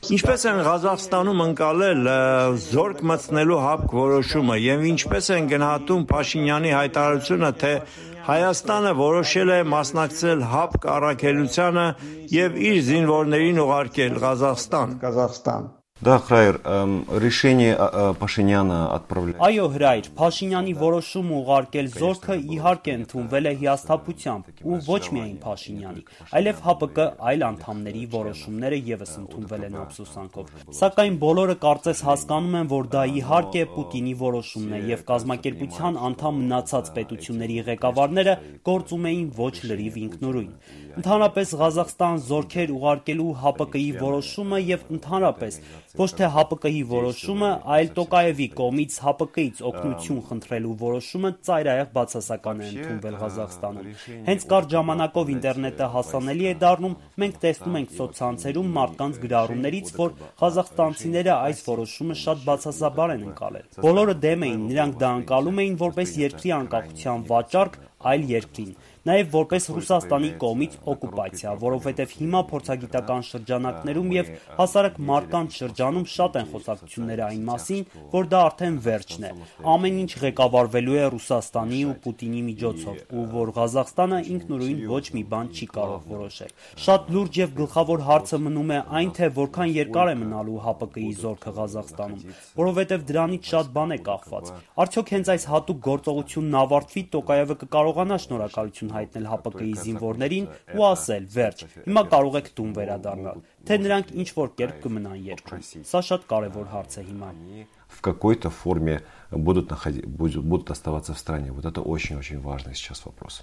Ինչպես են Ղազախստանում ընկալել զորք մտցնելու ՀԱՊԿ որոշումը եւ ինչպես են գնահատում Փաշինյանի հայտարարությունը, թե Հայաստանը որոշել է մասնակցել ՀԱՊԿ առաքելությանը եւ իր զինվորներին ուղարկել Ղազախստան։ Да, Храер, решение Пашиняна отправлять. Այո, Հրայր, Փաշինյանի որոշումը ուղարկել զորքը իհարկե ընդունվել է հիասթափությամբ ու ոչ միայն Փաշինյանի, այլև ՀԱՊԿ այլ անդամների որոշումները եւս ընդունվել են ափսոսանքով։ Սակայն բոլորը կարծես հասկանում են, որ դա իհարկե Պուտինի որոշումն է եւ կազմակերպության անդամ մնացած պետությունների ղեկավարները գործում էին ոչ լրիվ ինքնուրույն։ Ընդհանրապես Ղազախստան զորքեր ուղարկելու ՀԱՊԿ-ի որոշումը եւ ընդհանրապես ոչ թե ՀԱՊԿ-ի որոշումը, այլ Տոկաևի կողմից ՀԱՊԿ-ից օգնություն խնդրելու որոշումը ծայրահեղ բացասական է ընդունվել Ղազախստանում։ Հենց կարճ ժամանակով ինտերնետը հասանելի է դառնում, մենք տեսնում ենք սոցցանցերում մարդկանց գրառումներից, որ ղազախստանցիները այս որոշումը շատ բացասաբար են ընկալել։ Բոլորը դեմ էին, նրանք դա ընկալում էին որպես երկրի անկախության վաճառք այլ երկրին, նաև որպես Ռուսաստանի կողմից օկուպացիա, որովհետև հիմա փորձագիտական շրջանակներում եւ հասարակ մարդկանց շրջանում շատ են խոսակցությունները այն մասին, որ դա արդեն վերջն է։ Ամեն ինչ ղեկավարվելու է Ռուսաստանի ու Պուտինի միջոցով, ու որ Ղազախստանը ինքնուրույն ոչ մի բան չի կարող որոշել։ Շատ լուրջ եւ գլխավոր հարցը մնում է այն, թե որքան երկար է մնալու ՀԱՊԿ-ի զորքը Ղազախստանում, որովհետև դրանից շատ բան է կախված։ Արդյոք հենց այս հատուկ գործողությունն ավարտվի, Տոկաևը կկարողանա շնորհակալություն հայտնել ՀԱՊԿ-ի զինվորներին ու ասել՝ վերջ, հիմա կարող եք տուն վերադառնալ, թե նրանք ինչ-որ կերպ կմնան երկրում։ Սա շատ կարևոր հարց է հիմա։ В какой-то форме будут оставаться в стране. Вот это очень-очень важный сейчас вопрос.